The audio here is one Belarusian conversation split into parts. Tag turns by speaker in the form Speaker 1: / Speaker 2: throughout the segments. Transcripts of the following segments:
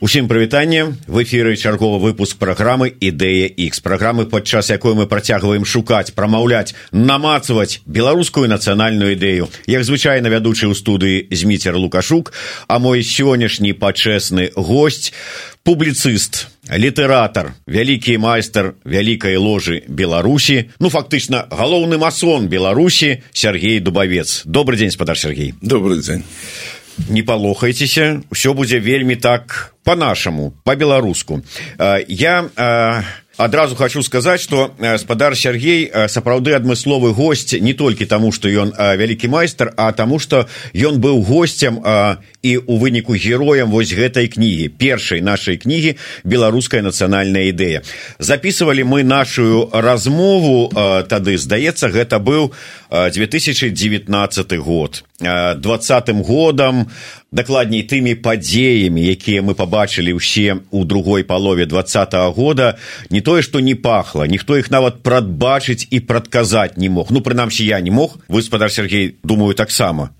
Speaker 1: Усім прывітанне, в эфіры чарговы выпуск праграмы «Ідэя X», праграмы, падчас якой мы працягваем шукаць, прамаўляць, намацаваць беларускую нацыянальную ідэю. Як звычайна, вядучы ў студыі Зміцер Лукашук, а мой сённяшні пачэсны госць, публіцыст, літаратар, вялікі майстар вялікай ложы Беларусі, фактычна, галоўны масон Беларусі, Сергей Дубавец. Добрый дзень, спадар Сергей.
Speaker 2: Добрый дзень.
Speaker 1: Не палохайцеся, ўсё будзе вельмі так па-нашаму, па-беларуску. Я адразу хочу сказаць, што спадар Сергей сапраўды адмысловы госць не толькі таму, што ён вялікі майстар, а таму, што ён быў госцем і ў выніку героем вось гэтай кнігі, першай нашай кнігі «Беларуская нацыянальная ідэя». Записывалі мы нашу размову тады, здаецца, гэта быў 2019 год. 20-м годам, дакладней тымі падзеямі, якія мы пабачылі ўсе ў другой палове 20-го года, не тое, што не пахла, ніхто іх нават прадбачыць і прадказаць не мог. Прынамсі, я не мог, вы, спадар Сергей, думаю, таксама.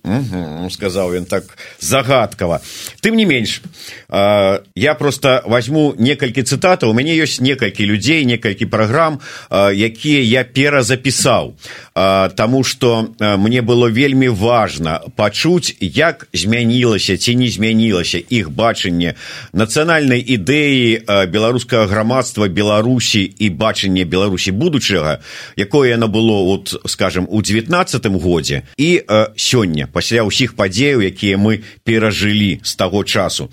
Speaker 1: Сказаў ён так загадкава. Тым не менш, я просто возьму некалькі цытатаў. У мяне ёсць некалькі людзей, некалькі праграм, якія я перазапісаў, таму што мне было вельмі важна пачуць, як змянілася ці не змянілася іх бачанне нацыянальнай ідэі беларускага грамадства Беларусі і бачанне Беларусі будучага, якое яно было, скажем, у 19-м годзе і сёння, пасля ўсіх падзеяў, якія мы перажылі з таго часу.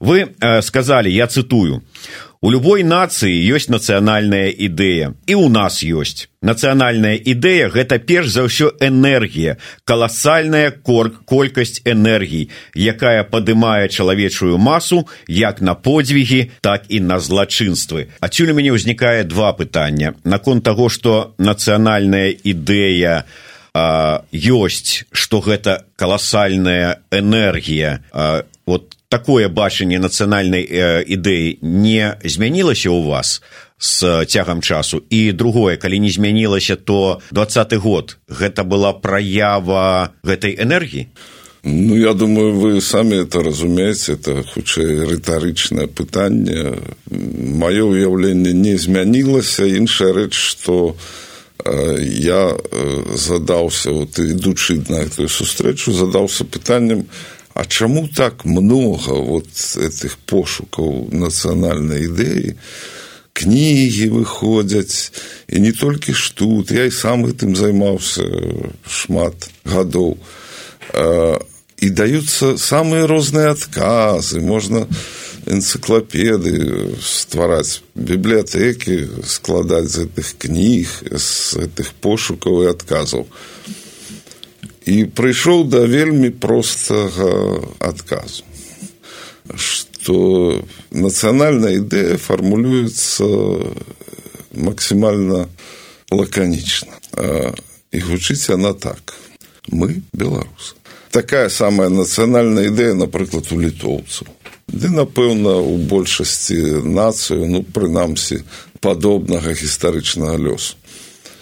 Speaker 1: Вы сказалі, я цытую, «У любой нацыі ёсць нацыянальная ідэя, і ў нас ёсць. Нацыянальная ідэя – гэта перш за ўсё энергія, каласальная колькасць энергій, якая падымае чалавечую масу як на подзвігі, так і на злачынствы». Адсюль у мяне ўзнікае два пытання. Наконт таго, што нацыянальная ідэя ёсць, што гэта каласальная энергія. Такое бачанне нацыянальнай ідэі не змянілася ў вас з цягам часу? І другое, калі не змянілася, то 20-й год гэта была праява гэтай энергіі?
Speaker 2: Я думаю, вы самі это разумееце, это хутчэй рытарычнае пытанне. Маё ўяўленне не змянілася, іншая рэч, што я задаўся, ідучы на эту сустрэчу, задаўся пытаннем, а чаму так много этих пошукаў нацыянальнай ідэі? Кнігі выходзяць, і не толькі ж тут, я і сам гэтым займаўся шмат гадоў. І даюцца самыя розныя адказы, можна энцыклапедыі ствараць, бібліятэкі складаць з гэтых кніг, з гэтых пошукаў і адказаў. І прыйшоў да вельмі простага адказу, што нацыянальная ідэя фармулюецца максімальна лаканічна. І гучыць яна так. Мы беларусы. Такая самая нацыянальная ідэя, напрыклад, у літоўцаў. Ды, напэўна, у большасці нацыю, прынамсі, падобнага гістарычнага лёсу.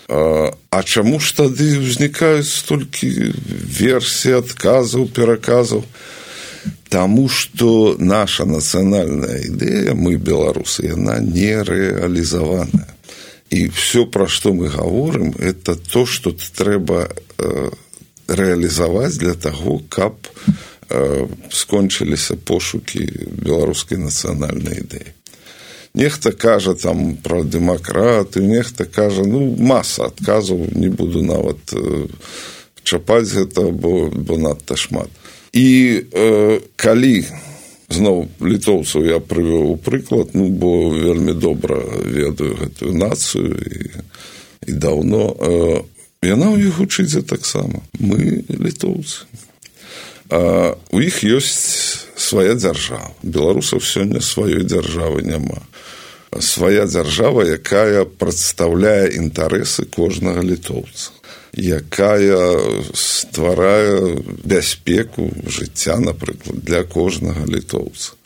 Speaker 2: А чаму ж тады ўзнікаюць столькі версій, адказаў, пераказаў? Таму што наша нацыянальная ідэя, мы беларусы, яна не рэалізаваная. І ўсё, пра што мы гаворым, это то, што трэба рэалізаваць для таго, каб скончыліся пошукі беларускай нацыянальнай ідэі. Нехта кажа там пра дэмакратыю, нехта кажа, маса адказаў, не буду нават чапаць гэта, бо надта шмат. І калі, зноў, літоўцаў я прывёў у прыклад, бо вельмі добра ведаю гэтую нацыю і даўно, яна ў іх гучыць таксама. Мы літоўцы. У іх ёсць свая дзяржава. Беларусаў сёння сваёй дзяржавы няма. Свая дзяржава, якая прадстаўляе інтарэсы кожнага літоўца, якая стварае бяспеку жыцця, напрыклад, для кожнага літоўца.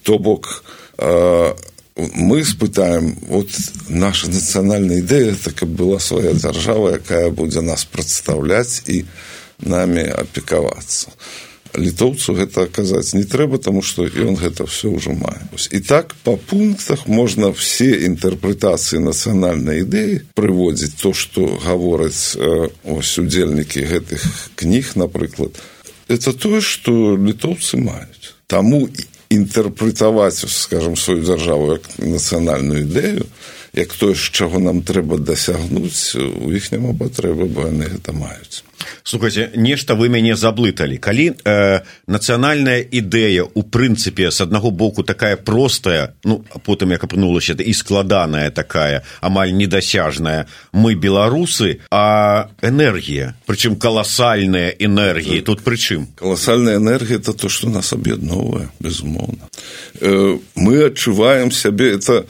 Speaker 2: То бок, мы спытаем, наша нацыянальная ідэя, так каб была свая дзяржава, якая будзе нас прадстаўляць і намі апекавацца. літоўцу гэта аказаць не трэба, таму што ён гэта ўсё ўжо мае. І так па пунктах можна все інтэрпрэтацыі нацыянальнай ідэі прыводзіць то, што гавораць удзельнікі гэтых кніг, напрыклад. Это тое, што літоўцы маюць. Таму інтэрпрэтаваць, скажам, сваю дзяржаву як нацыянальную ідэю, як тое, з чаго нам трэба дасягнуць, у іх няма патрэбы, бо яны гэта маюць.
Speaker 1: Слухайте, нешта вы мяне заблыталі. Калі нацыянальная ідэя, у прынцыпе, з аднаго боку такая простая, ну, потым як апынулася, і складаная такая, амаль недасяжная, мы беларусы, а энергія, прычым каласальная энергія, тут пры чым?
Speaker 2: Каласальная энергія – это то, што нас аб'ядноўвае, безумоўна. Мы адчуваем сябе, это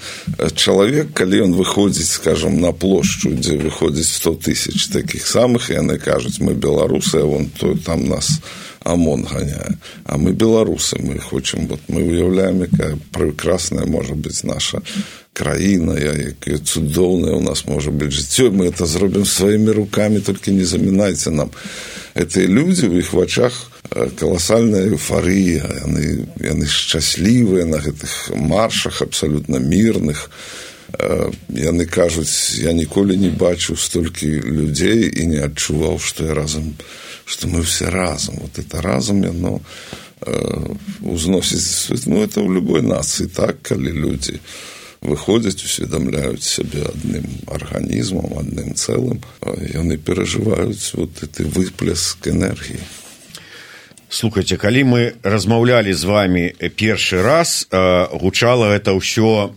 Speaker 2: чалавек, калі ён выходзіць, скажам, на плошчу, дзе выходзіць 100 тысяч такіх самых, і яны кажуць, мы беларусы, а вон то, там нас ОМОН ганяе. А мы беларусы, мы хочам, вот мы уяўляем, якая прекрасная можа быць наша краіна, якая цудоўная у нас можа быць жыццё, мы это зробім сваімі рукамі, толькі не замінайце нам. Гэтыя людзі, у іх вачах каласальная эйфарыя, яны шчаслівыя на гэтых маршах, абсалютна мірных. Яны кажуць, я ніколі не бачыў столькі людзей і не адчуваў, што я разам, што мы все разам. Вот это разам яно узносіць, ну, это ў любой нацыі так, калі людзі выходзяць, усведамляюць сябе адным арганізмам, адным цэлым, яны перажываюць вот гэты выплеск энергіі.
Speaker 1: Слухайте, калі мы размаўлялі з вами першы раз, гучала гэта ўсё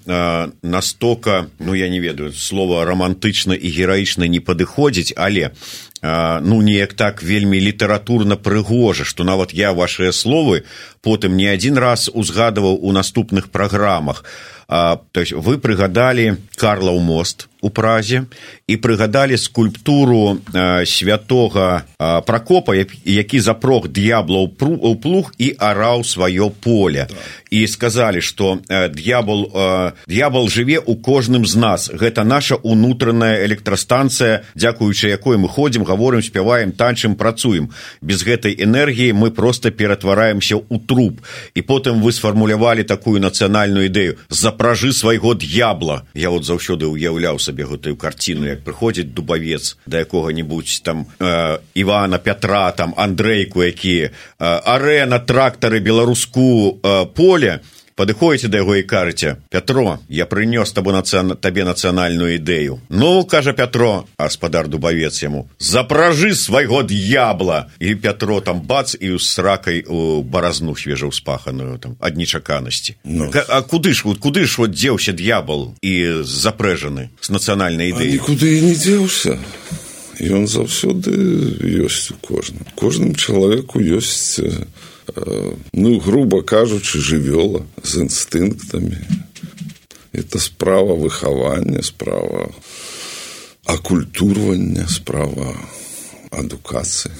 Speaker 1: настолько, ну, я не ведаю, слова романтычна і гераічна не падыходзіць, але ну, неяк так вельмі літаратурна прыгожа, што нават я вашыя словы потым не адзін раз узгадываў у наступных праграмах. То есть вы прыгадалі Карлаў мост у Празе і прыгадалі скульптуру святога Пракопа, які запрог д'ябла ў плуг і араў сваё поле. І сказалі, што д'ябал жыве ў кожным з нас. Гэта наша унутраная электрастанцыя, дзякуючы якой мы ходзім, гаворым, спяваем, танчым, працуем. Без гэтай энергіі мы проста ператвараемся ў труп. І потым вы сфармулявалі такую нацыянальную ідэю: запражы свайго д'ябла. Я вот заўсёды уяўляў сабе гэтую карціну, як прыходзіць дубавец да якога-небудзь там Івана, Пятра, там Андрэйку, які арэ на трактары беларуску поле, падыходзіце да яго і кажаце: Пятро, я прынёс табе нацыянальную ідэю. Ну, кажа Пятро, а гаспадар дубавец яму: запражы свайго д'ябла. І Пятро там бац, і з сракай у баразну свежаўспаханую там ад нечаканасці. Ну. А куды ж вот дзеўся д'ябал і запрэжаны з нацыянальнай ідэяй?
Speaker 2: А нікуды і не дзеўся. Ён заўсёды ёсць у кожным. Кожным чалавеку ёсць, ну, грубо кажучы, жывёла з інстынктамі. Это справа выхавання, справа акультурвання, справа адукацыі.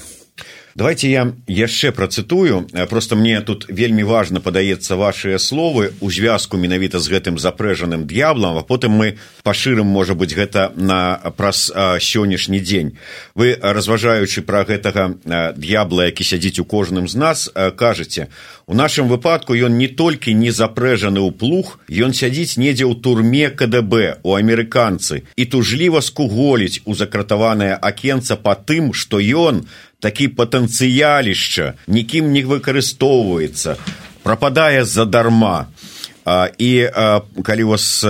Speaker 1: Давайте я яшчэ працытую. Просто мне тут вельмі важна, падаецца, вашыя словы у звязку менавіта з гэтым запрэжаным д'яблам, а потым мы пашырым, можа быць, гэта праз сённяшні дзень. Вы, разважаючы пра гэтага д'ябла, які сядзіць у кожным з нас, кажаце: у нашым выпадку ён не толькі не запрэжаны ў плуг, ён сядзіць недзе ў турме КДБ, у амерыканцы, і тужліва скуголіць у закратаванае акенца па тым, што ён такі патэнцыялішча нікім не выкарыстоўваецца, прападае задарма. І калі вас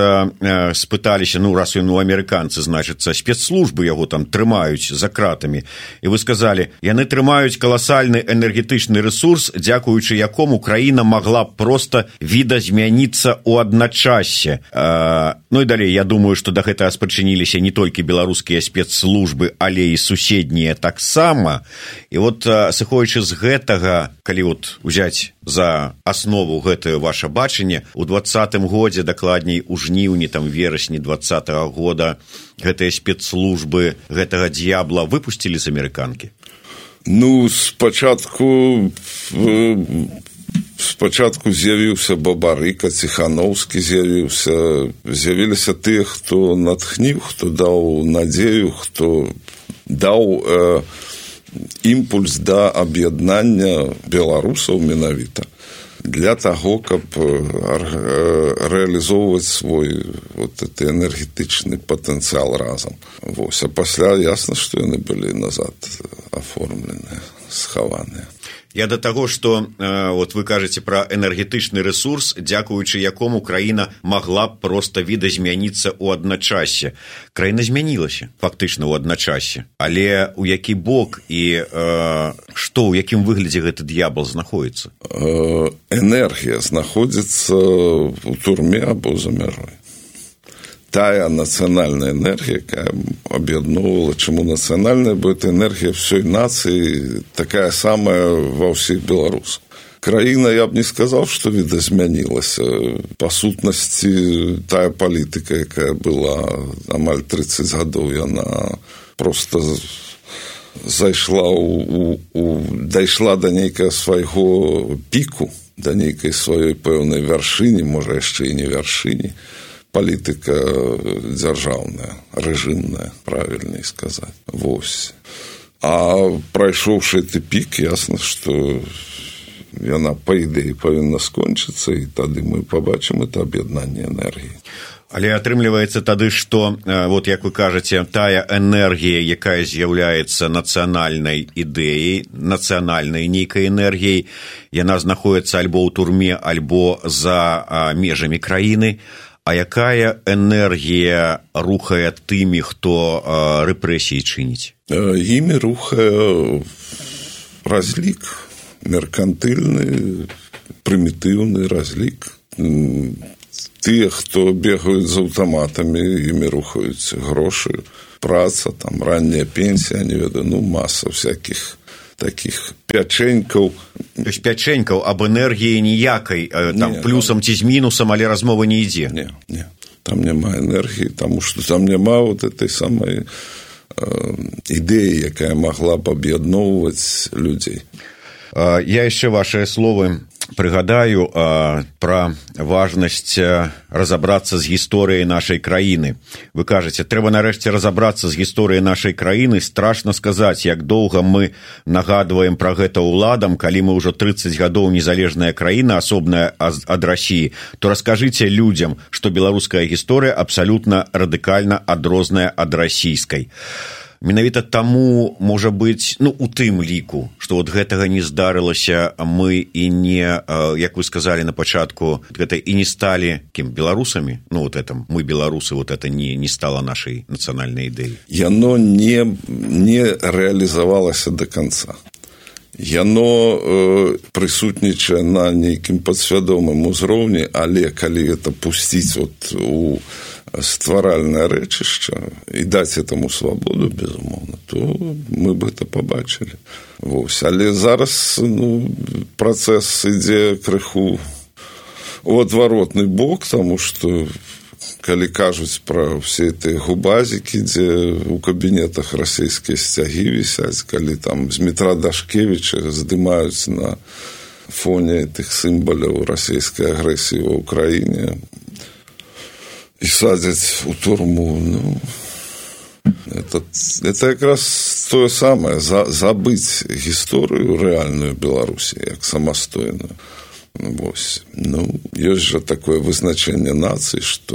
Speaker 1: спыталіся, ну, раз ён у амерыканцы, значыцца, спецслужбы яго там трымаюць за кратамі, і вы сказалі, яны трымаюць каласальны энергетычны рэсурс, дзякуючы якому краіна магла б проста відазмяніцца ў адначассе. Ну і далей, я думаю, што да гэтага спрычыніліся не толькі беларускія спецслужбы, але і суседнія таксама. І вот, сыходзячы з гэтага, калі вот узяць за аснову гэтае ваше бачанне, у 2020 годзе, дакладней у жніўні, там верасні 2020 года, гэтыя спецслужбы гэтага д'ябла выпусцілі з амерыканкі?
Speaker 2: Ну, спачатку з'явіўся Бабарыка, Ціханаўскі з'явіліся тыя, хто натхніў, хто даў надзею, хто даў імпульс да аб'яднання беларусаў менавіта для таго, каб рэалізоўваць свой вот гэты энергетычны патэнцыял разам. Вось. А пасля ясна, што яны былі назад аформленыя, схаваныя.
Speaker 1: Я до таго, што вот вы кажаце пра энергетычны рэсурс, дзякуючы якому краіна магла б проста відазмяніцца ў адначасе. Краіна змянілася фактычна ў адначасе. Але ў які бок і што, ў якім выглядзе гэты д'ябал знаходзіцца?
Speaker 2: Энергія знаходзіцца ў турме або за мяжой. Тая нацыянальная энергія, якая аб'ядноўвала, чаму нацыянальная, бо это энергія всёй нацыі такая самая ва ўсіх беларусаў. Краіна, я б не сказаў, што відазмянілася. Па сутнасці, тая палітыка, якая была амаль 30 гадоў, яна проста зайшла дайшла да нейкага свайго піку, да нейкай сваёй пэўнай вяршыні, можа яшчэ і не вяршыні. Палітыка дзяржаўная, рэжымная, правільней сказаць. Вось. А прайшоўшы гэты пік, ясна, што яна, па ідэі, павінна скончыцца, і тады мы пабачым это аб'яднанне энергіі.
Speaker 1: Але атрымліваецца тады, што, вот як вы кажаце, тая энергія, якая з'яўляецца нацыянальнай ідэяй, нацыянальнай нейкай энергіяй, яна знаходіцца альбо ў турме, альбо за межамі краіны. А якая энергія рухае тымі, хто рэпрэсіі чыніць?
Speaker 2: Імі рухае разлік, меркантыльны, прымітыўны разлік. Тыя, хто бегаюць з аўтаматамі, імі рухаюць грошы, праца, там, ранняя пенсія, не ведаю, маса всякіх таких пячэнькаў.
Speaker 1: То есть пячэнькаў аб энергіі ніякай, там, плюсам ці з мінусам, але размова не ідзе.
Speaker 2: Не. Там няма энергіі, таму што там няма вот этой самай ідэі, якая магла б аб'ядноўваць людзей.
Speaker 1: Я яшчэ вашыя словы прыгадаю пра важнасць разабрацца з гісторыяй нашай краіны. Вы кажаце, трэба нарэшце разабрацца з гісторыяй нашай краіны. Страшна сказаць, як доўга мы нагадваем пра гэта ўладам, калі мы ўжо 30 гадоў незалежная краіна, асобная ад Расіі, то раскажыце людзям, што беларуская гісторыя абсалютна радыкальна адрозная ад расійскай. Менавіта таму, можа быць, у тым ліку, што вот гэтага не здарылася, мы і не, як вы сказалі на пачатку, гэта і не сталі кім, беларусамі? Вот это, мы беларусы, вот это не стала нашай нацыянальнай ідэяй.
Speaker 2: Яно не рэалізавалася до конца. Яно прысутнічае на нейкім падсвядомым узроўні, але калі это пусціць у стваральнае рэчышча і даць этому свабоду, безумоўна, то мы бы это пабачылі. Вось. Але зараз працэс ідзе крыху у адваротны бок, таму што калі кажуць пра ўсе гэтыя губазікі, дзе ў кабінетах расійскія сцягі вісяць, калі там з метра Дашкевіча здымаюць на фоне тых сімваляў расійскай агрэсіі ва ўкраіне і садзяць у турму, это якраз тое самае, забыць гісторыю рэальную Беларусі, як самастойную. Вось. Ёсць жа такое вызначэнне нацыі, што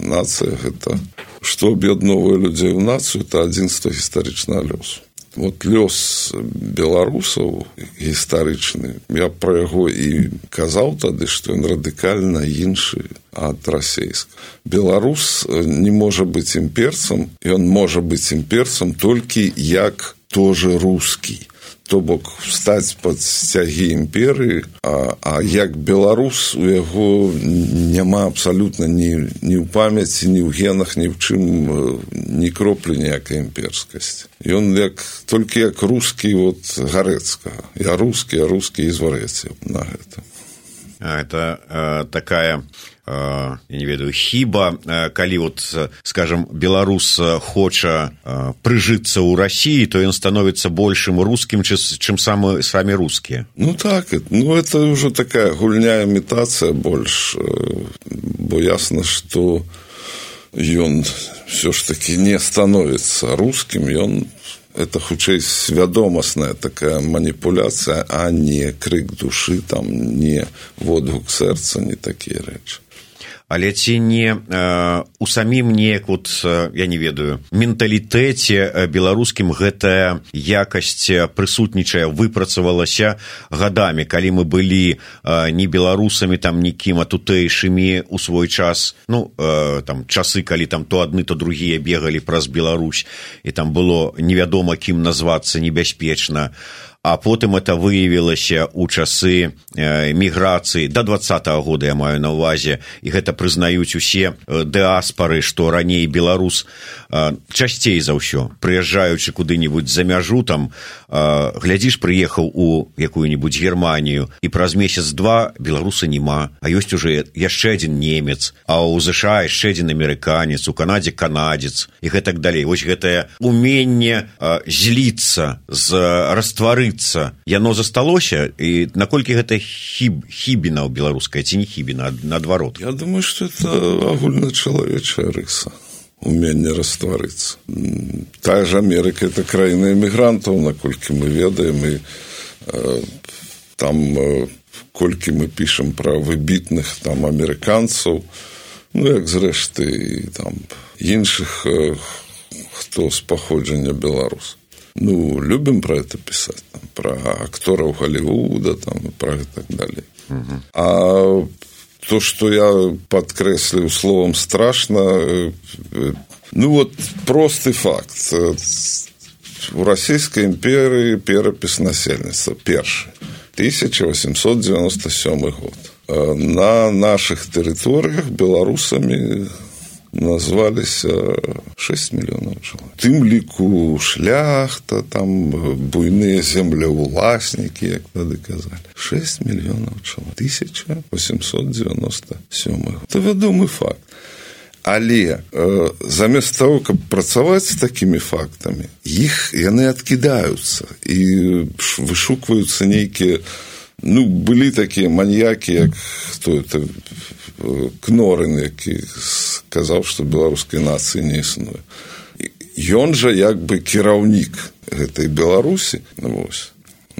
Speaker 2: нацыя гэта, што аб'ядноўвае людзей у нацыю, это адзінства гістарычнага лёсу. Вот лёс беларусаў гістарычны, я пра яго і казаў тады, што ён радыкальна іншы ад расійскага. Беларус не можа быць імперцам, ён можа быць імперцам толькі як тоже рускі. То бок стаць пад сцягі імперыі, а як беларус у яго няма абсалютна ні ў памяці, ні ў генах, ні ў чым, ні кроплі ніякай імперскасці. Ён толькі як рускі Гарэцкага. Я рускі і зварэце на гэта.
Speaker 1: Это такая, я не ведаю, хіба, калі, скажем, беларус хоча прыжыцца ў Расіі, то ён становіцца большым рускім, чым самі рускія.
Speaker 2: Так, это ўжо такая гульня, імітацыя больш, бо ясна, што ён все ж таки не становіцца рускім, ён это хутчэй свядомасная такая маніпуляцыя, а не крык душы, там, не водгук сэрца, не такія рэчы.
Speaker 1: Але ці не у самім неяк, я не ведаю, менталітэце беларускім гэтая якасць прысутнічае, выпрацавалася гадамі, калі мы былі не беларусамі, там, нікім, а тутэйшымі у свой час, там, часы, калі там то адны, то другія бегалі праз Беларусь, і там было невядома, кім назвацца небяспечна. А потым это выявілася ў часы міграцыі да 20-го года, я маю на ўвазе, і гэта прызнаюць усе дыаспары, што раней беларус часцей за ўсё, прыязджаючы куды-нибудь за мяжу, там, глядзіш, прыехаў у якую-нибудь Германію, і праз месяц-два беларуса няма, а ёсць уже яшчэ адзін немец, а ў ЗША яшчэ адзін амерыканец, у Канадзе канадзец, і гэтак далей. Вось гэтае уменне зліцца, растварыцца, яно засталося, і наколькі гэта хібіна ў беларускай, ці не хібіна, наадварот?
Speaker 2: Я думаю, что это агульначалавечая рыса, уменне растварыцца. Тая ж Амерыка – это краіна эмігрантаў, наколькі мы ведаем, і там, колькі мы пішам пра выбітных там амерыканцаў, як зрэшты, там, іншых, хто з паходжання беларус. Любим про это писать, там, про акторов Голливуда, там, и про и так далее. А то, что я подкреслил словом страшно, простый факт. В Российской империи перепись насельніцтва перший, 1897 год. На наших территориях белорусами назвались 6 мільёнаў чалавек. Тым ліку шляхта, там буйныя землеўласнікі, як тады казалі. 6 мільёнаў чалавек. 1897 год. Это вядомы факт. Але замест того, каб працаваць з такімі фактамі, яны адкідаюцца і вышукваюцца нейкія, былі такія маньякі, як хто это, Кнорын, які сказаў, што беларускай нацыі не існуе. Ён жа як бы кіраўнік гэтай Беларусі,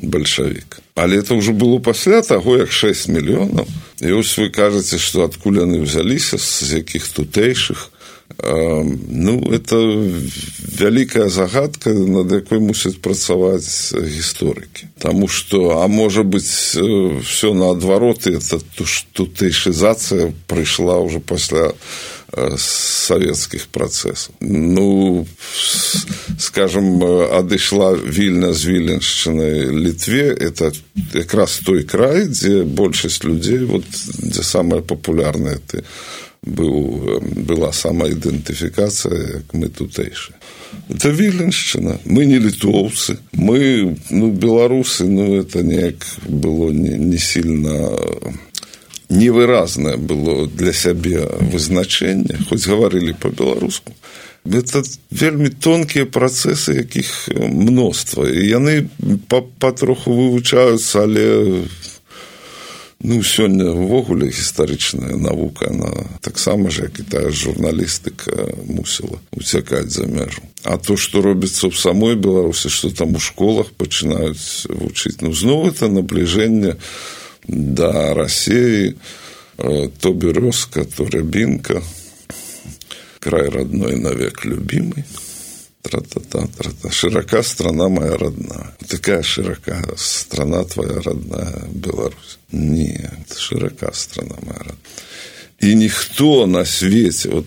Speaker 2: бальшавік. Але это ўжо было пасля таго, як 6 мільёнаў. І вось вы кажаце, што адкуль яны ўзяліся, з якіх тутэйшых. Это вялікая загадка, над якой мусяць працаваць гісторыкі. Таму што, можа быць, все наадварот, і это тутэйшызацыя прыйшла ўжо пасля савецкіх працэсаў. Скажем, адышла Вільня з Віленшчынай Літве, это якраз той край, дзе большасць людзей, дзе самая папулярная была самаідэнтыфікацыя, як мы тутэйшыя. Это Віленшчына. Мы не літоўцы. Мы, беларусы, это неяк было не сильно невыразнае было для сябе вызначэнне, хоць гаварылі па-беларуску. Это вельмі тонкія працэсы, якіх мноства. І яны патроху вывучаюцца, але сёння ўвогуле гістарычная навука, она таксама ж, як і тая журналістыка, мусіла уцякаць за мяжу. А то, што робіцца ў самой Беларусі, што там у школах пачынаюць вучыць, зноў это набліжэнне да России, то березка, то рябинка, край родной навек любимый, тра-та-та, тра-та. Широка страна моя родная. Такая широка страна твоя родная, Беларусь. Нет, широка страна моя родная. И никто на свете,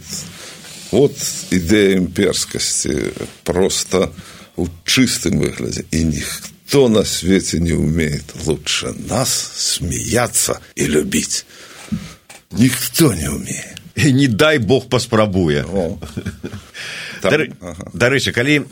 Speaker 2: идея имперскости просто в чистом выгляде, и никто на свете не умеет лучше нас смеяться и любить. Никто не умеет.
Speaker 1: І не дай Бог паспрабуе. Дарэчы, калі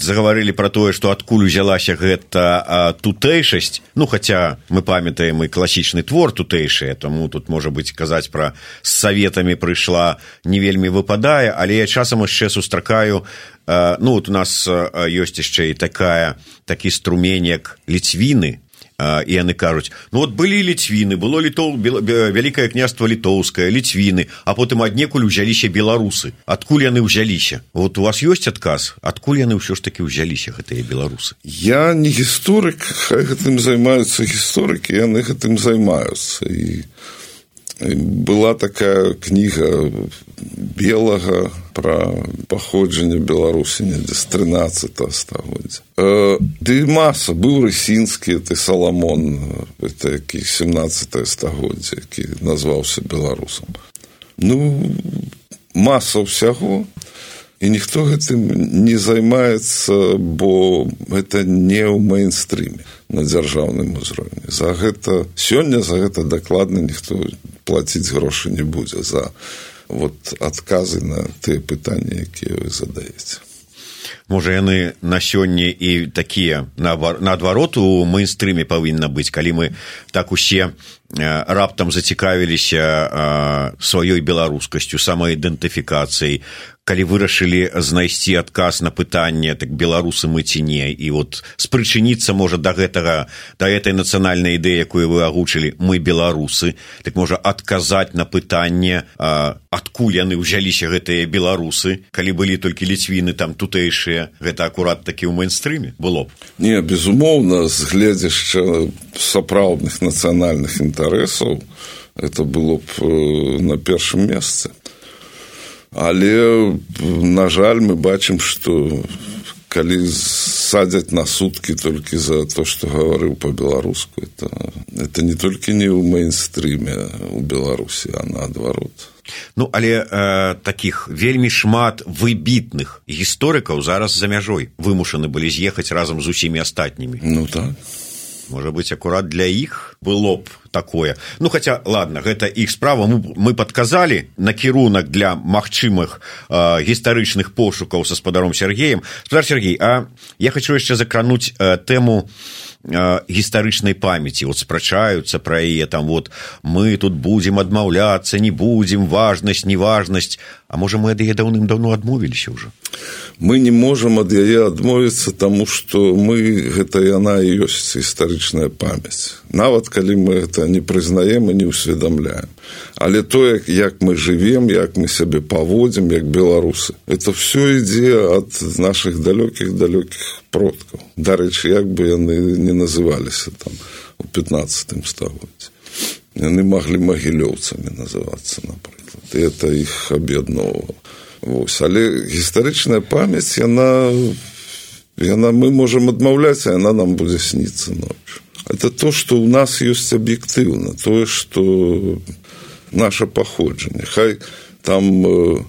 Speaker 1: загаварылі пра тое, што адкуль узялася гэта тутэйшасць, хаця мы памятаем і класічны твор тутэйшыя, таму тут, можа быць, казаць пра з саветамі прыйшла не вельмі выпадае, але я часам яшчэ сустракаю, у нас ёсць яшчэ і такі струмень, як ліцвіны, і яны кажуць, ну вот былі ліцвіны, было Вялікае княства літоўскае, ліцвіны, а потым аднекуль узяліся беларусы. Адкуль яны ўзяліся? Вот у вас ёсць адказ? Адкуль яны ўсё ж такі ўзяліся, гэтыя беларусы?
Speaker 2: Я не гісторык, хай гэтым займаюцца гісторыкі, яны гэтым займаюцца. І была такая кніга Белага пра паходжанне Беларусі недзе з 13 стагоддзя. Ды маса, быў Рысінскі, ты Саламон, это які 17 стагоддзя, які назваўся беларусам. Ну, маса ўсяго, і ніхто гэтым не займаецца, бо гэта не ў мейнстрыме на дзяржаўным узроўні. За гэта сёння за гэта дакладна ніхто плаціць грошы не будзе за вот адказы на тыя пытанні, якія вы задаеце.
Speaker 1: Можа, яны на сёння і такія наадварот у мейнстрыме павінна быць, калі мы так усе раптам зацікавіліся сваёй беларускасцю, самаідэнтыфікацыяй, калі вырашылі знайсці адказ на пытанне, так беларусы мы ці не, і вот спрычыніцца можа да этой нацыянальнай ідэі, якую вы агучылі, мы беларусы, так можа адказаць на пытанне, адкуль яны ўзяліся гэтыя беларусы, калі былі толькі ліцвіны там тутэйшыя, гэта акурат такі ў мейнстрыме было б?
Speaker 2: Не, безумоўна, з гледзяшча сапраўдных нацыянальных інтарэсаў это было б на першым месцы. Але, на жаль, мы бачым, што калі садзяць на суткі толькі за то, што гаварыў па-беларуску, это не толькі не ў мейнстрыме у Беларусі, а наадварот.
Speaker 1: Ну, але такіх вельмі шмат выбітных гісторыкаў зараз за мяжой вымушаны былі з'ехаць разам з усімі астатнімі.
Speaker 2: Ну, так.
Speaker 1: Можа быць, акурат для іх было б такое. Ну, хаця, ладно, гэта іх справа. Мы падказалі накірунак для магчымых гістарычных пошукаў са спадаром Сергеем. Спадар Сергей, а я хочу яшчэ закрануць тэму гістарычнай памяці. Вот спрачаюцца пра яе, там вот мы тут будзем адмаўляцца, не будзем, важнасць, неважнасць. А можа, мы ад яе даўным-даўно адмовіліся ўжо?
Speaker 2: Мы не можам ад яе адмовіцца, таму што гэта яна і ёсць гістарычная памяць. Нават калі мы гэта не прызнаем і не ўсведамляем. Але то, як мы жывем, як мы сябе паводзім, як беларусы, это все ідзе ад нашых далёкіх продкаў. Дарэчы, як бы яны не называліся там у 15 стагоддзі. Яны маглі магілёўцамі называцца, напрыклад. І это іх аб'ядноўвала. Але гістарычная памяць, мы можам адмаўляць, а яна нам будзе сніцца ночью. Это то, што ў нас ёсць аб'ектыўна, тое, што наша паходжанне. Хай там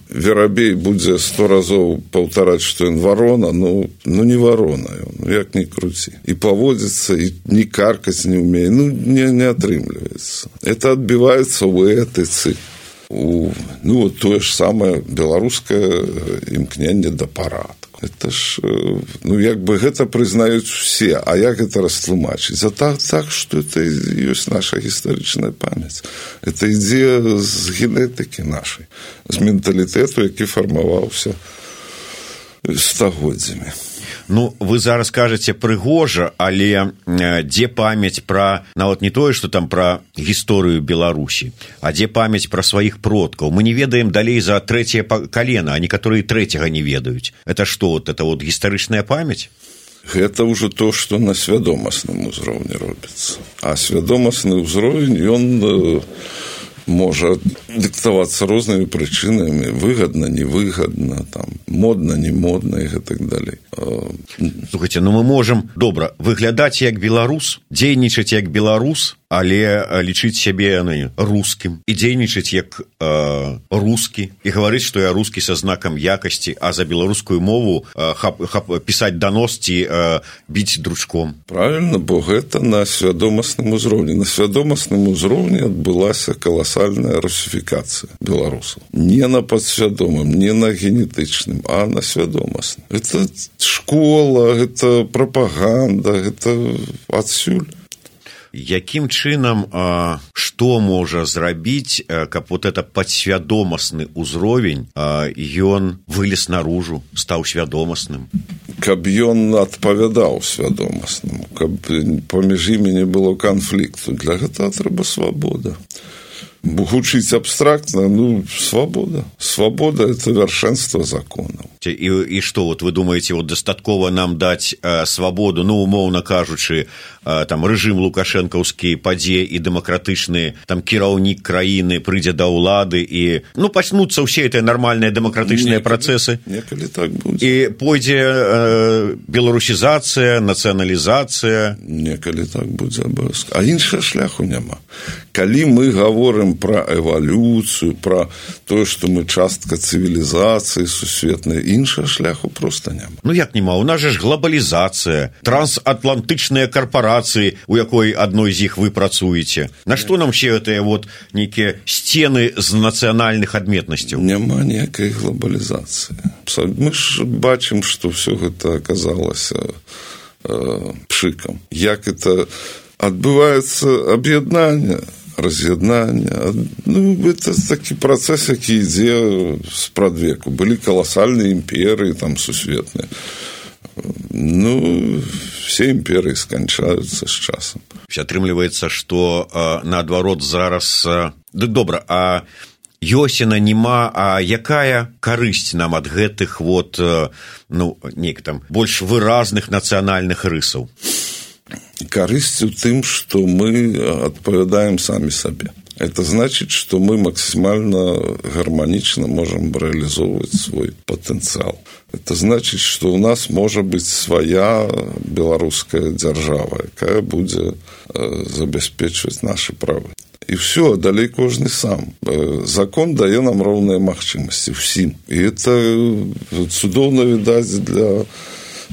Speaker 2: Верабей будзе 100 разоў паўтараць, што ён варона, ну не варона ён, як не круці. І паводзіцца, і не каркаць не ўмее, не атрымліваецца. Это адбіваецца ў этыцы. Тое ж самае беларускае імкненне да парадку. Это ж, як бы гэта прызнаюць усе, а як гэта растлумачыць? Так, што это ёсць наша гістарычная памяць. Это ідзе з генетыкі нашай, з менталітэту, які фармаваўся стагоддзямі.
Speaker 1: Ну, вы зараз кажаце прыгожа, але дзе памяць пра, нават не тое, што там пра гісторыю Беларусі, а дзе памяць пра сваіх продкаў? Мы не ведаем далей за трэцяе калена, а некаторыя трэцяга не ведаюць. Это што, это гістарычная памяць?
Speaker 2: Гэта ўжо то, што на свядомасным узроўні робіцца. А свядомасны ўзровень, ён можа дыктавацца рознымі прычынамі, выгадна, невыгадна, там, модна, не модна і гэтак далей.
Speaker 1: Слухайце, мы можам, добра, выглядаць як беларус, дзейнічаць як беларус, але лічыць сябе рускім і дзейнічаць як рускі і гаварыць, што я рускі са знакам якасці, а за беларускую мову пісаць данос ці біць дручком.
Speaker 2: Правильно, бо гэта на свядомасным узроўні. На свядомасным узроўні адбылася каласальная русіфікацыя беларусаў. Не на падсвядомым, не на генетычным, а на свядомасным. Это школа, гэта прапаганда, гэта адсюль.
Speaker 1: Якім чынам, што можа зрабіць, каб вот это падсвядомасны ўзровень, ён вылез наружу, стаў свядомасным?
Speaker 2: каб ён адпавядаў свядомаснаму, каб паміж імі не было канфлікту. Для гэтага трэба свабода. Гучыць абстрактна, свабода. Свабода – это вяршэнства законаў.
Speaker 1: І што, вот вы думаеце, вот дастаткова нам даць свабоду, умоўна кажучы, там рэжым лукашэнкаўскі падзе і дэмакратычны там кіраўнік краіны прыйдзе да ўлады і пачнуцца ўсе гэтыя нармальныя дэмакратычныя працэсы.
Speaker 2: Некалі так будзе.
Speaker 1: І пойдзе беларусізацыя, нацыяналізацыя.
Speaker 2: Некалі так будзе абавязкова. А іншага шляху няма. Калі мы гаворым пра эвалюцыю, пра тое, што мы частка цывілізацыі сусветнай, іншага шляху проста няма.
Speaker 1: Як няма? У нас же ж глобалізацыя, трансатлантычныя карпорацыі, у якой адной з іх вы працуеце. На што нам ще гэтыя нейкія сцены з нацыянальных адметнасцяў?
Speaker 2: Няма ніякай глобалізацыі. Мы ж бачым, што ўсё гэта аказалася пшыкам. Як это адбываецца аб'яднанне, раз'яднання. Это такі працэс, які ідзе спрадвеку. Былі каласальныя імперыі там сусветныя. Все імперыі сканчаюцца з часам.
Speaker 1: Атрымліваецца, што наадварот зараз... Добра, а ёсць яна, нема, а якая карысць нам ад гэтых нейк там больш выразных нацыянальных рысаў?
Speaker 2: Карысць у тым, што мы адпавядаем самі сабе. Это значит, что мы максимально гармонично можем реализовывать свой потенциал. Это значит, что у нас может быть своя белорусская держава, якая будет забеспечивать наши права. И все, далей кожны сам. Закон дае нам роўныя магчымасці ўсім. І это цудоўна відаць для...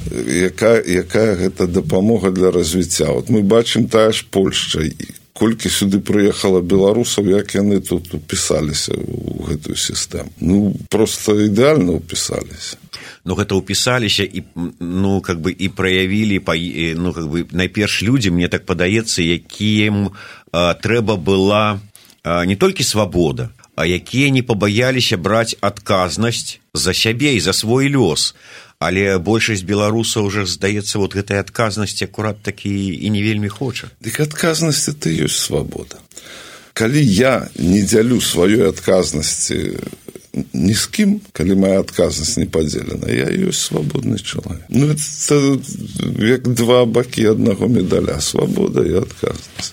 Speaker 2: Якая гэта дапамога для развіцця. Мы бачым тая ж Польшча, колькі сюды прыехала беларусаў, як яны тут упісаліся ў гэтую сістэму. Просто ідэальна упісаліся.
Speaker 1: Гэта упісаліся і і праявілі найперш людзі, мне так падаецца, якім трэба была не толькі свабода, а якія не пабаяліся браць адказнасць за сябе і за свой лёс. Але большасць беларусаў уже, здаецца, гэтай адказнасці акурат такі і не вельмі хоча.
Speaker 2: Дык адказнасць – это ёсць свабода. Калі я не дзялю сваёй адказнасці ні з кім, калі моя адказнасць не падзелена, я ёсць свабодны чалавек. Это як два бакі аднаго медаля – свабода і адказнасць.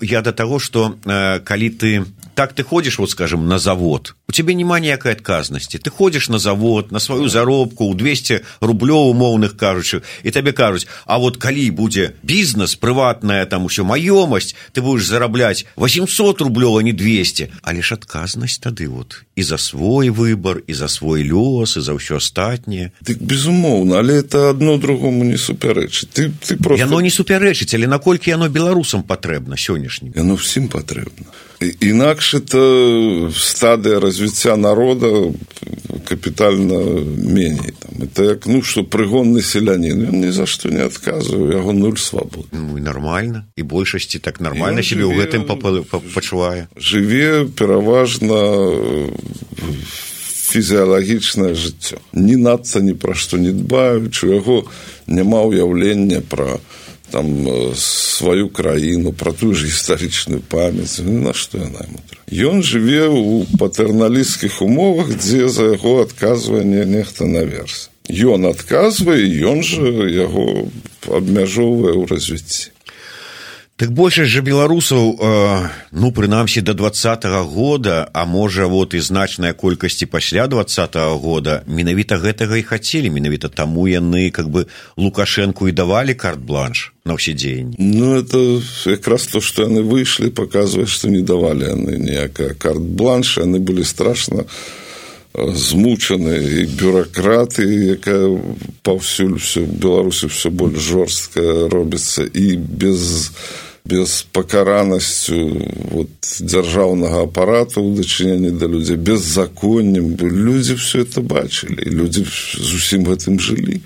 Speaker 1: Я до таго, што калі ты ходзіш, скажем, на завод, у цябе няма ніякай адказнасці. Ты ходзіш на завод, на сваю заробку, у 200 рублёў умоўных кажучы, і табе кажуць, а калі будзе бізнес, прыватная там усё маёмасць, ты будзеш зарабляць 800 рублёў, а не 200. Але ж адказнасць тады і за свой выбар, і за свой лёс, і за ўсё астатняе.
Speaker 2: Дык безумоўна, але это адно другому не супярэчыць.
Speaker 1: Яно не супярэчыць, але наколькі яно беларусам патрэбна сённяшнім?
Speaker 2: Яно ўсім патрэбна. Інакш это стадыя развіцця народа капітальна меней. Это як, што прыгонны селянін, ён ні за што не адказвае, яго нуль свабоды.
Speaker 1: І нармальна, і большасці так нармальна сябе ў гэтым пачувае.
Speaker 2: Жыве пераважна фізіялагічнае жыццё. Ні надта ні пра што не дбаючы, у яго няма ўяўлення пра сваю краіну, пра тую ж гістарычную памяць, на што яна яму трэба. Ён жыве ў патэрналісцкіх умовах, дзе за яго адказвае нехта наверсе. Ён адказвае, ён жа яго абмяжоўвае ў развіцці.
Speaker 1: Так большасць жа беларусаў, прынамсі да 20-го года, а можа і значная колькасці пасля 20-го года, менавіта гэтага і хацелі, менавіта таму яны Лукашэнку і давалі карт-бланш на ўсе дзеянні.
Speaker 2: Это якраз то, што яны выйшлі, паказвае, што не давалі яны ніякая карт-бланш, яны былі страшна змучаны, і бюракраты, якая паўсюль в Беларусі ўсё больш жорсткая робіцца, і без пакаранасцю дзяржаўнага апарату ў дачыненні да людзей, беззаконнем. Людзі ўсё это бачылі, і людзі з усім гэтым жылі.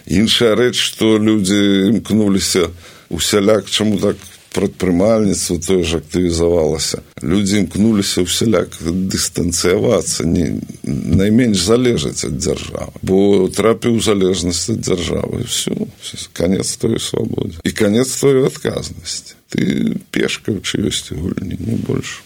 Speaker 2: Іншая рэч, што людзі імкнуліся усяляк, чаму так прадпрымальніцтва тое ж актывізавалася. Людзі імкнуліся ўсяляк дыстанцыявацца, найменш залежаць ад дзяржавы. Бо трапіў у залежнасць ад дзяржавы, і все, канец твоей свабодзе. І канец твоей адказнасці. Ты пешка ў чыёсьці гульні, не больш.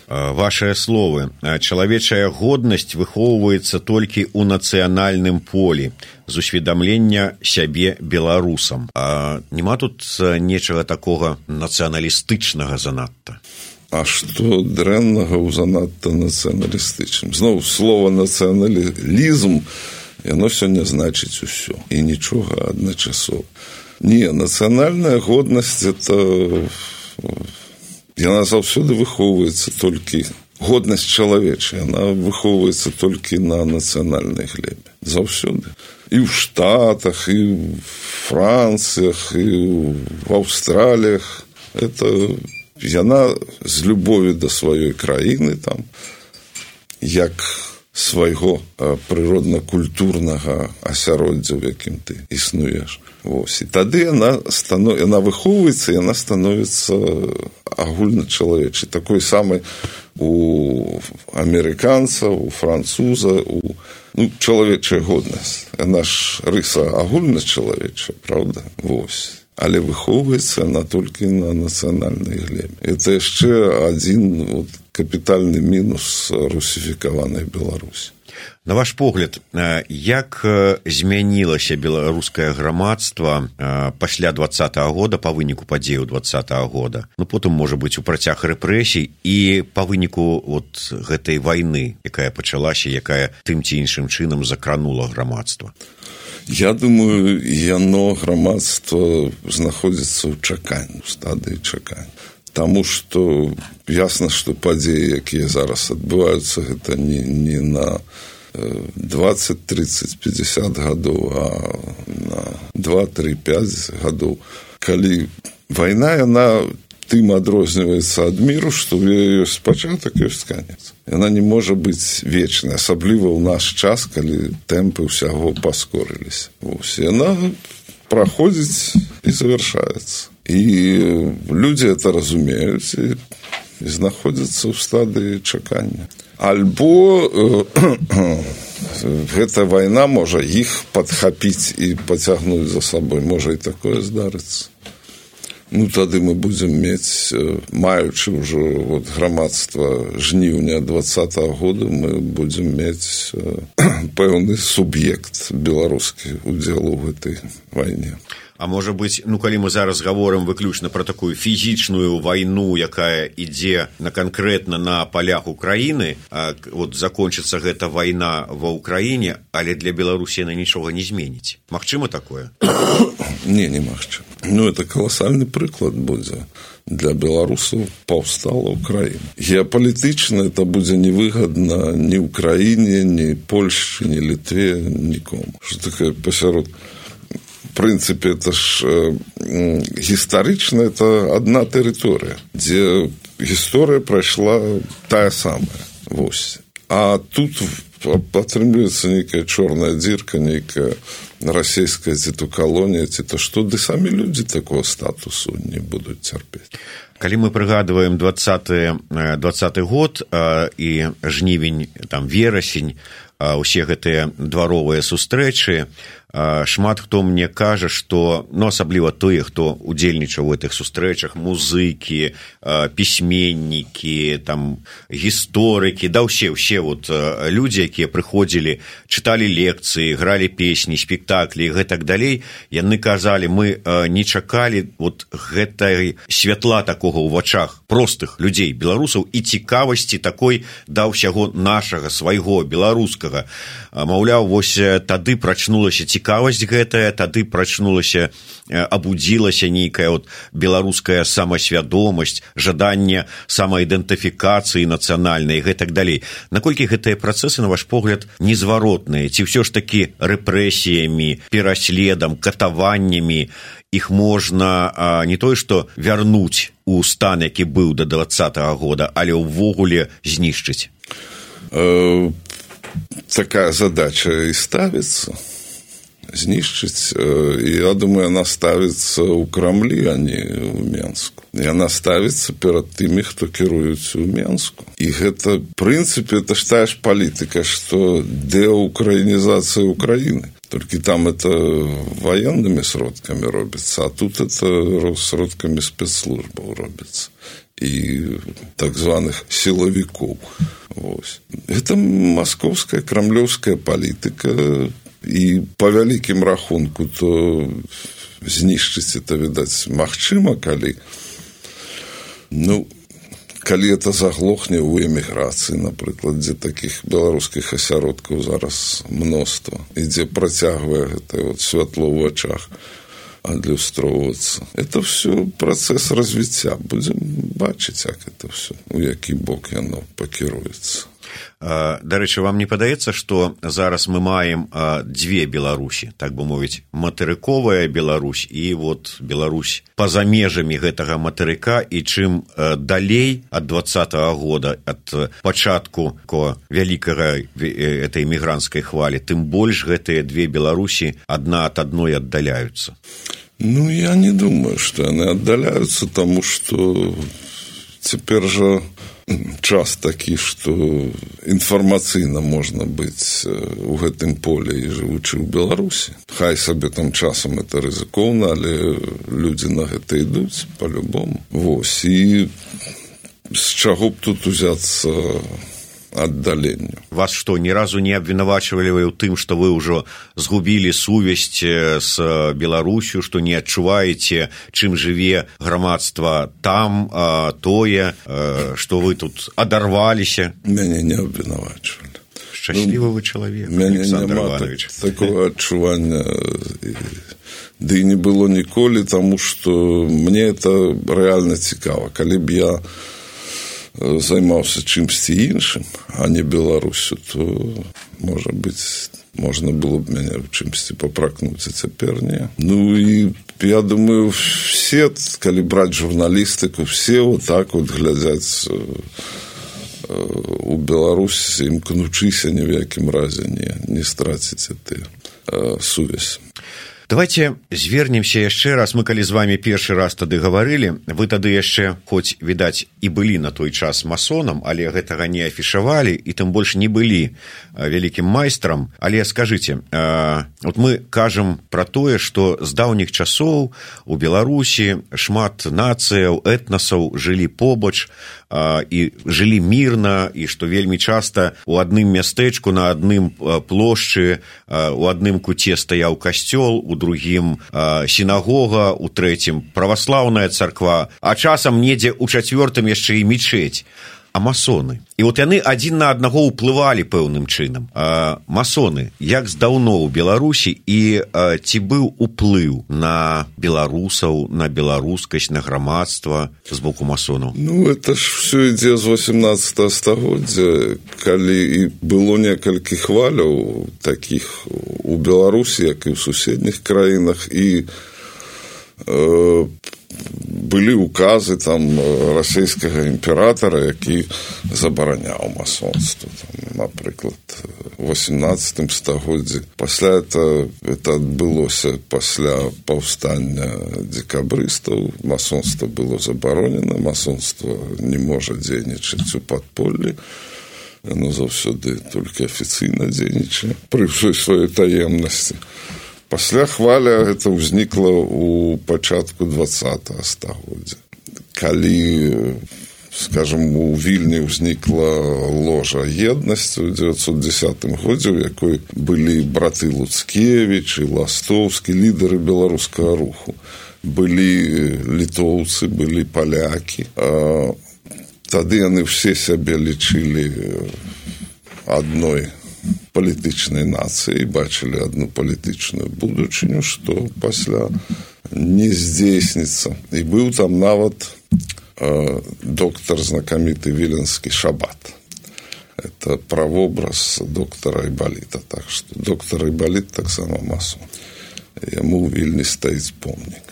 Speaker 1: Вашыя словы. Чалавечая годнасць выхоўваецца толькі ў нацыянальным полі з усведамлення сябе беларусам. А нема тут нечага такога нацыяналістычнага занадта?
Speaker 2: А што дрэннага ў занадта нацыяналістычным? Зноў, слова нацыяналізм, яно сёння значыць усё. І нічога адначасова. Не, нацыянальная годнасць – это... Яна заўсёды выхоўваецца толькі... Годнасць чалавечая, яна выхоўваецца толькі на нацыянальнай глебе. Заўсёды. І ў Штатах, і ў Францыях, і ў Аўстраліях. Это яна з любові да сваёй краіны, там, як свайго прыродна-культурнага асяроддзя, у якім ты існуеш. Вось. І тады яна выхоўваецца, яна становіцца агульначалавечай, такой самай у амерыканца, у француза, чалавечая годнасць. Яна ж рыса агульначалавечая, правда? Вось. Але выхоўваецца яна толькі на нацыянальнай глебе. Это яшчэ адзін капітальны мінус русіфікаванай Беларусі.
Speaker 1: На ваш погляд, як змянілася беларускае грамадства пасля 20-го года, па выніку падзеяў 20-го года? Потым, можа быць, у працяг рэпрэсій і па выніку гэтай вайны, якая пачалася, якая тым ці іншым чынам закранула грамадства?
Speaker 2: Я думаю, яно, грамадства, знаходзіцца ў чаканні, у стадыі чакання. Таму што ясна, што падзеі, якія зараз адбываюцца, гэта не на 20, 30, 50 гадоў, а на 2, 3, 5 гадоў. Калі вайна, яна тым адрозніваецца ад міру, што ў яе ёсць пачатак, ёсць канец. Яна не можа быць вечнай, асабліва ў наш час, калі тэмпы ўсяго паскорыліся. Яна праходзіць і завяршаецца. І людзі это разумеюць і знаходзяцца ў стадыі чакання. Альбо гэта вайна можа іх падхапіць і пацягнуць за сабой. Можа і такое здарыцца. Тады мы будзем мець, маючы ўжо грамадства жніўня 20-го года, мы будзем мець пэўны суб'ект беларускі удзелу ў гэтай вайне.
Speaker 1: А можа быць, калі мы зараз гаворым выключна пра такую фізічную вайну, якая ідзе канкрэтна на палях Украіны, закончыцца гэта вайна ва Ўкраіне, але для Беларусі яна нічога не зменіць. Магчыма такое?
Speaker 2: Не магчыма. Это каласальны прыклад будзе. Для беларусаў паўстала Украіна. Геапалітычна это будзе невыгадна ні Украіне, ні Польшчы, ні Літве, нікому. Што такое пасярод... В прынцыпе, это ж гістарычна, это адна тэрыторыя, дзе гісторыя прайшла тая самая. Вось. А тут атрымліваецца нейкая чорная дзірка, нейкая расійская ці то калонія, ці то што, ды самі людзі такого статусу не будуць цярпець.
Speaker 1: Калі мы прыгадваем 20 год і жнівень, верасень, усе гэтыя дваровыя сустрэчы, шмат хто мне кажа, што, асабліва тыя, хто удзельнічаў у гэтых сустрэчах, музыкі, пісьменнікі, гісторыкі, ўсе людзі, якія прыходзілі, чыталі лекцыі, гралі песні, спектаклі і гэтак далей, яны казалі, мы не чакалі гэтай святла такога ў вачах простых людзей, беларусаў, і цікавасці такой да ўсяго нашага, свайго, беларускага. Маўляў, вось тады прачнулася цікавасць гэтая, тады прачнулася, абудзілася нейкая беларуская самасвядомасць, жаданне самаідэнтыфікацыі нацыянальнай і гэтак далей. Наколькі гэтыя працэсы, на ваш погляд, незваротныя? Ці ўсё ж такі рэпрэсіямі, пераследам, катаваннямі іх можна не тое, што вярнуць у стан, які быў да 20-го года, але ўвогуле знішчыць?
Speaker 2: Такая задача і ставіцца, знішчыць. Я думаю, она ставіцца ў Крамлі, а не ў Менску. Яна ставіцца перад тымі, хто кіруюць у Менску. І гэта, в прынцыпе, это ж тая ж палітыка, што деукраінізацыя Украіны. Только там это военными сродками робится, а тут это сродками спецслужбов робится. И так званых силовиков. Вот. Это московская, кремлевская политика. И по великим рахунку, то знішчыць это, видать, магчыма, калі... Ну, калі это заглохне ў эміграцыі, напрыклад, дзе такіх беларускіх асяродкаў зараз мноства, і дзе працягвае гэта вот святло ў вачах адлюстроўвацца. Это все працэс развіцця. Будзем бачыць, як это все, у які бок яно пакіруецца.
Speaker 1: Дарэчы, вам не падаецца, што зараз мы маем дзве Беларусі, так бы мовіць, матэрыковая Беларусь і вот Беларусь па-за межамі гэтага матэрыка, і чым далей ад 20-го года, ад пачатку вялікага этой мігранцкай хвалі, тым больш гэтыя две Беларусі адна ад адной аддаляюцца.
Speaker 2: Ну, я не думаю, што яны аддаляюцца, таму што цяпер жа час такі, што інфармацыйна можна быць у гэтым поле і жывучы ў Беларусі. Хай сабе там часам это рызыкоўна, але людзі на гэта ідуць па-любому. Вось, і з чаго б тут узяцца аддаленню.
Speaker 1: Вас што, ні разу не абвінавачвалі ў тым, што вы ўжо згубілі сувязь з Беларусю, што не адчуваеце, чым жыве грамадства там, тое, што вы тут адарваліся?
Speaker 2: Мяне не абвінавачвалі.
Speaker 1: Шчаслівы вы чалавек,
Speaker 2: Мяне няма такого адчування, ды і не было ніколі, таму што мне это рэальна цікава. Калі б я займаўся чымсьці іншым, а не Беларусю, то, можа быць, можна было б мяне в чымсьці папракнуць, а цяпер не. Ну, і я думаю, все, калі браць журналістыку, все вот так вот глядзяць у Беларусі, імкнучыся ні в якім разе не страціць эту сувязь.
Speaker 1: Давайте звернемся яшчэ раз. Мы калі з вами першы раз тады гаварылі, вы тады яшчэ, хоць, відаць, і былі на той час масонам, але гэтага не афішавалі, і тым больш не былі вялікім майстрам. Але скажыце, вот мы кажам пра тое, што з даўніх часоў у Беларусі шмат нацыяў, этнасаў жылі побач, і жылі мірна, і што вельмі часта у адным мястэчку, на адным плошчы, у адным куце стаяў касцёл, у другім сінагога, у трэцім праваслаўная царква, а часам недзе ў чацвёртым яшчэ і мечеть. А масоны. І от яны адзін на аднаго ўплывалі пэўным чынам. Масоны, як здаўно ў Беларусі, і ці быў уплыў на беларусаў, на беларускасць, на грамадства з боку масонаў?
Speaker 2: Ну, это ж все ідзе з 18 стагоддзя, калі і было некалькі хваляў такіх у Беларусі, як і ў суседніх краінах, і былі указы там расійскага імператара, які забараняў масонство. Там, напрыклад, у 18 стагоддзі. Пасля это адбылося пасля паўстання декабрыстаў. Масонство было забаронена, масонство не можа дзейнічаць у падполлі. Яно заўсёды толькі афіцыйна дзейнічае пры ўсёй сваёй таемнасці. Пасля хваля гэта ўзнікла ў пачатку 20-го стагоддзя. Калі, скажем, у Вільні ўзнікла ложа еднасці ў 910 годзе, у якой былі браты Луцкевіч і Ластовскі, лідары беларускага руху. Былі літоўцы, былі палякі. Тады яны ўсе сябе лічылі адной палітычнай нацыі, бачылі адну палітычную будучыню, што пасля не здзейсніцца. І быў там нават доктар знакаміты віленскі Шабат. Это правобраз доктара Айбаліта. Так што доктар Айбаліт таксама масон. Яму ў Вільні стаіць помнік.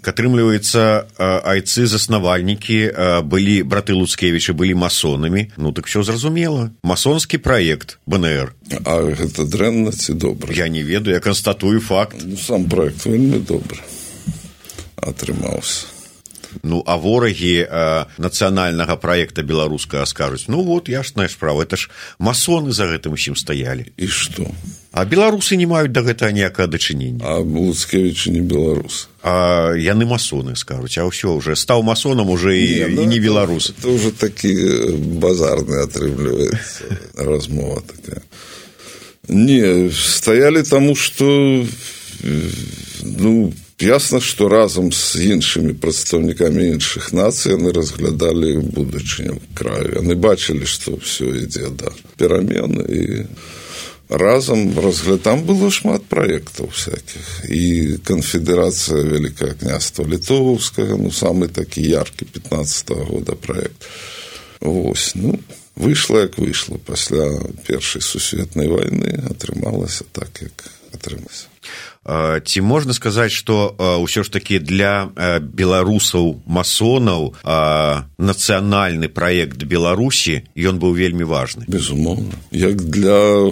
Speaker 1: Атрымліваецца, айцы-заснавальнікі былі, браты Луцкевічы былі масонамі. Ну, так все зразумела. Масонскі праект БНР.
Speaker 2: А гэта дрэнна ці добра?
Speaker 1: Я не ведаю, я канстатую факт.
Speaker 2: Ну, сам праект вельмі добры атрымаўся.
Speaker 1: Ну, а ворагі нацыянальнага праекта беларускага скажуць, ну вот, ясная справа, это ж масоны за гэтым усім стаялі.
Speaker 2: І што?
Speaker 1: А беларусы не маюць да гэтага ніякага дачынення.
Speaker 2: А Луцкевічы не беларусы.
Speaker 1: А яны масоны, скажуць, а ўсё, уже стаў масонам, уже і не беларус.
Speaker 2: Это уже такі базарны атрымліваецца размова такая. Не, стаялі таму, што ну, ясна, што разам з іншымі прадстаўнікамі іншых нацый яны разглядалі будучыню краю. Яны бачылі, што ўсё ідзе да перамен і разам там было шмат праектаў всяких. І канфедэрацыя Вялікага княства Літоўскага, ну, самы такі яркі 15-го года праект. Вось, ну, выйшла, як выйшла. Пасля Першай сусветнай вайны атрымалася так, як атрымалася.
Speaker 1: Ці можна сказаць, што ўсё ж такі для беларусаў-масонаў нацыянальны праект Беларусі, ён быў вельмі важны?
Speaker 2: Безумоўна. Як для...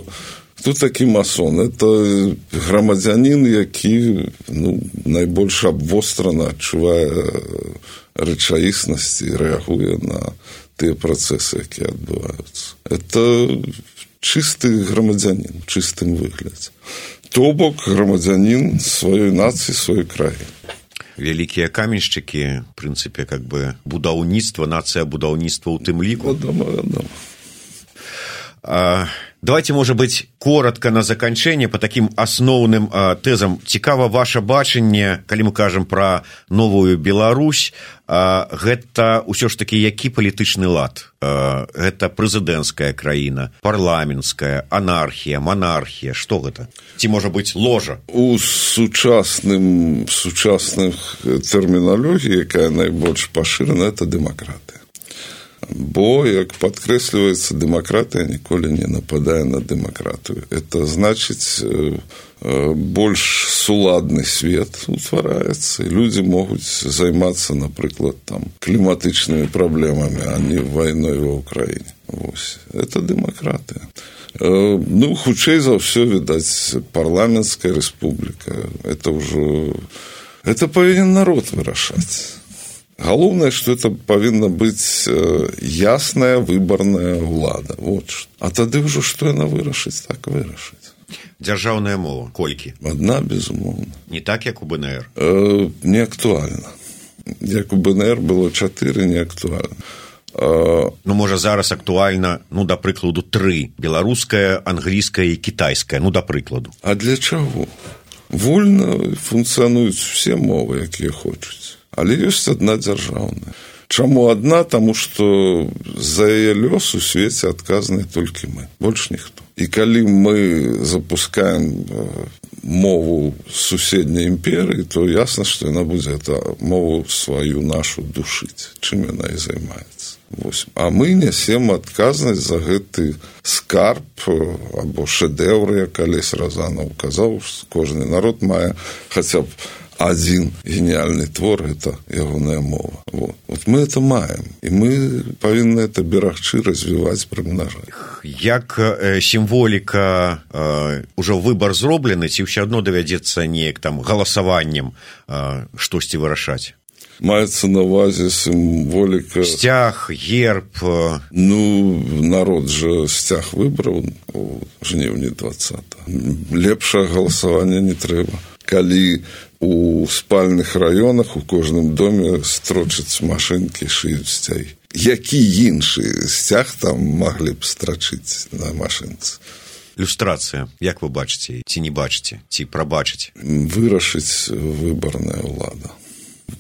Speaker 2: Хто такі масон? Это грамадзянін, які найбольш абвострана адчувае рэчаіснасць і рэагуе на тыя працэсы, якія адбываюцца. Это чысты грамадзянін, чыстым выглядзе. То бок грамадзянін сваёй нацыі, сваёй краіны.
Speaker 1: Вялікія каменшчыкі, в прынцыпе, как бы будаўніцтва, нацыя будаўніцтва ў тым ліку.
Speaker 2: Вядома.
Speaker 1: Давайте, может быть, коротко на заканчэнне по таким асноўным тэзам. Цікава ваше бачанне, калі мы кажам пра новую Беларусь, гэта ўсё ж такі які палітычны лад? Гэта прэзідэнцкая краіна, парламенцкая, анархія, манархія, што гэта? Ці можа быць ложа?
Speaker 2: У сучасных тэрміналогіі, якая найбольш пашырана, это дэмакратыя. Бо, як падкрэсліваецца, дэмакратыя ніколі не нападае на дэмакратыю. Это значыць, больш суладны свет утвараецца, і людзі могуць займацца, напрыклад, там, кліматычнымі праблемамі, а не вайной ва ўкраіне. Вось. Это дэмакратыя. Ну, хутчэй за ўсё, відаць, парламенцкая рэспубліка. Это ўжо... Это павінен народ вырашаць. Галоўнае, што это павінна быць ясная выбарная ўлада. Вот. А тады ўжо што яна вырашыць, так вырашыць.
Speaker 1: Дзяржаўная мова, колькі?
Speaker 2: Адна, безумоўна.
Speaker 1: Не так, як у БНР?
Speaker 2: Не актуальна. Як у БНР было 4, не актуальна.
Speaker 1: Ну, можа, зараз актуальна, ну, да прыкладу, 3. Беларуская, англійская і кітайская, ну, да прыкладу.
Speaker 2: А для чаго? Вольна функцыянуюць усе мовы, якія хочуць. Але ёсць адна дзяржаўная. Чаму адна? Таму што за яе лёс у свеце адказныя толькі мы, больш ніхто. І калі мы запускаем мову суседняй імперыі, то ясна, што яна будзе мову сваю нашу душыць, чым яна і займаецца. Вось. А мы нясем адказнасць за гэты скарб або шэдэўр, як калісь Разанаў казаў, кожны народ мае хаця б один гениальный твор – это ягоная мова. Вот мы это маем, и мы павінны это берагчы, развіваць, прымнажаць.
Speaker 1: Як сімволіка, ужо выбар зроблены, ці ўсё адно давядзецца неяк там галасаваннем штосьці вырашаць?
Speaker 2: Маецца на ўвазе сімволіка...
Speaker 1: Сцяг, герб...
Speaker 2: Ну, народ жа сцяг выбраў у жніўні 20-го. Лепшае галасаванне не трэба. Калі у спальных раёнах у кожным доме строчаць машынкі, шыюць сцягі. Які іншы сцяг там маглі б страчыць на машынцы?
Speaker 1: Люстрацыя, як вы бачыце, ці не бачыце, ці прабачыць?
Speaker 2: Вырашыць выбарная ўлада.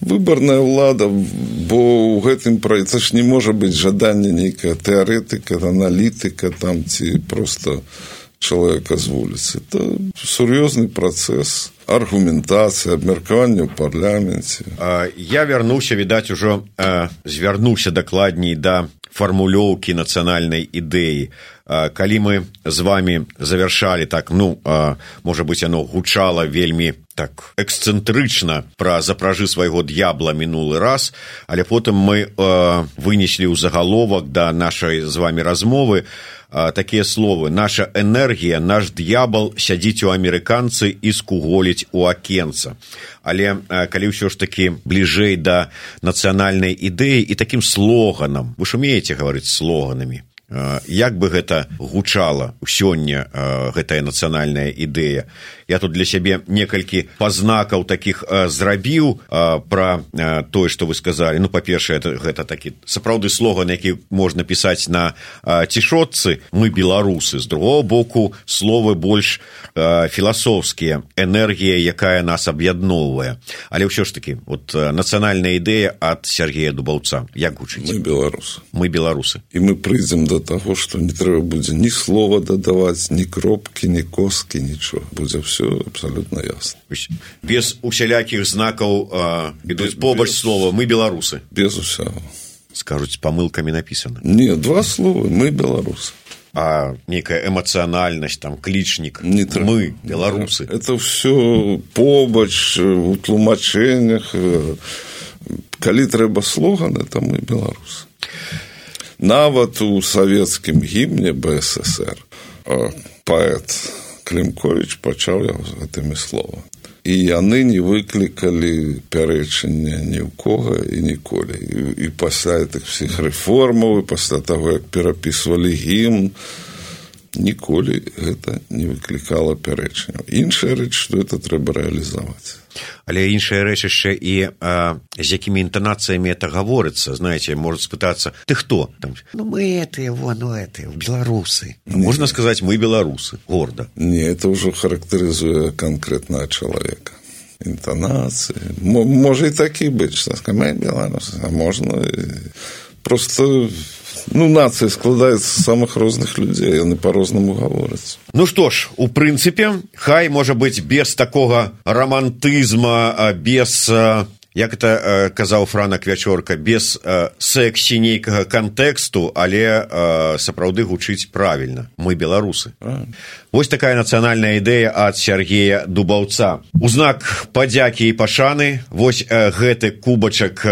Speaker 2: Выбарная ўлада, бо ў гэтым праекце ж не можа быць жаданне нейкая тэарэтыка, аналітыка там, ці проста чалавека з вуліцы. Это сур'ёзны працэс аргументацыі, абмеркавання ў парламенце.
Speaker 1: Я вярнуўся, відаць, ужо звярнуўся дакладней да фармулёўкі нацыянальнай ідэі. Калі мы з вами завяршалі так, ну, можа быць, яно гучала вельмі так эксцэнтрычна пра запражы свайго д'ябла мінулы раз, але потым мы вынеслі ў загаловак да нашай з вами размовы такія словы: наша энергія, наш д'ябал сядзіць у амерыканцы і скуголіць у акенца. Але калі ўсё ж такі бліжэй да нацыянальнай ідэі і такім слоганам, вы ж умееце гаварыць слоганамі, як бы гэта гучала сёння, гэтая нацыянальная ідэя? Я тут для сябе некалькі пазнакаў такіх зрабіў пра тое, што вы сказалі. Ну, па-першае, гэта такі сапраўды слоган, які можна пісаць на цішотцы: мы беларусы. З другого боку, словы больш філасофскія, энергія, якая нас аб'ядноўвае. Але ўсё ж такі, вот нацыянальная ідэя ад Сергея Дубаўца, як гучыць?
Speaker 2: Мы беларусы.
Speaker 1: Мы беларусы.
Speaker 2: І мы прыйдзем до таго, што не трэба будзе ні слова дадаваць, ні кропкі, ні косткі, нічого. Будзе все абсолютно ясно.
Speaker 1: Без усялякіх знакаў ідуць побач слова «мы беларусы».
Speaker 2: Без усяго.
Speaker 1: Скажуць, з памылкамі напісана.
Speaker 2: Не, два слова «мы беларусы».
Speaker 1: А некая эмацыянальнасць, там, клічнік, мы беларусы.
Speaker 2: Это все побач, у тлумачэннях. Калі трэба слоган, это «мы беларусы». Нават у савецкім гімне БССР паэт Клімковіч пачаў яго з гэтымі словамі. І яны не выклікалі пярэчання ні ў кога і ніколі. І пасля гэтых всіх рэформаў, і пасля таго, як перапісвалі гімн, ніколі гэта не выклікала пярэчання. Іншая рэч, што гэта трэба рэалізаваць.
Speaker 1: Але іншая рэч яшчэ і з якімі інтанацыямі это гаворыцца. Знаеце, можа спытацца: ты хто? Там, ну, мы этыя, беларусы. Можна сказаць, мы беларусы, горда.
Speaker 2: Не, это ўжо характарызуе канкрэтнага чалавека. Інтанацыі. Можа і такі быць, што мы беларусы, а можна просто... Ну, нацыя складаецца з самых розных людзей, яны па-рознаму гавораць.
Speaker 1: Ну што ж, у прынцыпе, хай, можа быць, без такога рамантызма, без, як это казаў Франак Вячорка, без сексі нейкага кантэксту, але сапраўды гучыць правільна. Мы беларусы.
Speaker 2: Правильно.
Speaker 1: Вось такая нацыянальная ідэя ад Сергея Дубаўца. У знак падзякі і пашаны вось гэты кубачак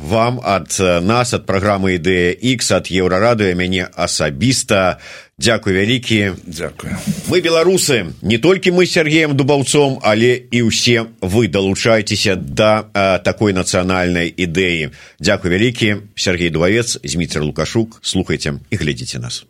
Speaker 1: вам ад нас, ад праграмы «Ідэя Х», ад Еўрарадыё, мяне асабіста. Дзякуй вялікі.
Speaker 2: Дзякуй.
Speaker 1: Мы беларусы. Не толькі мы з Сергеем Дубаўцом, але і ўсе вы далучайцеся да такой нацыянальнай ідэі. Дзякуй вялікі. Сергей Дубавец, Зміцер Лукашук. Слухайце і глядзіце нас.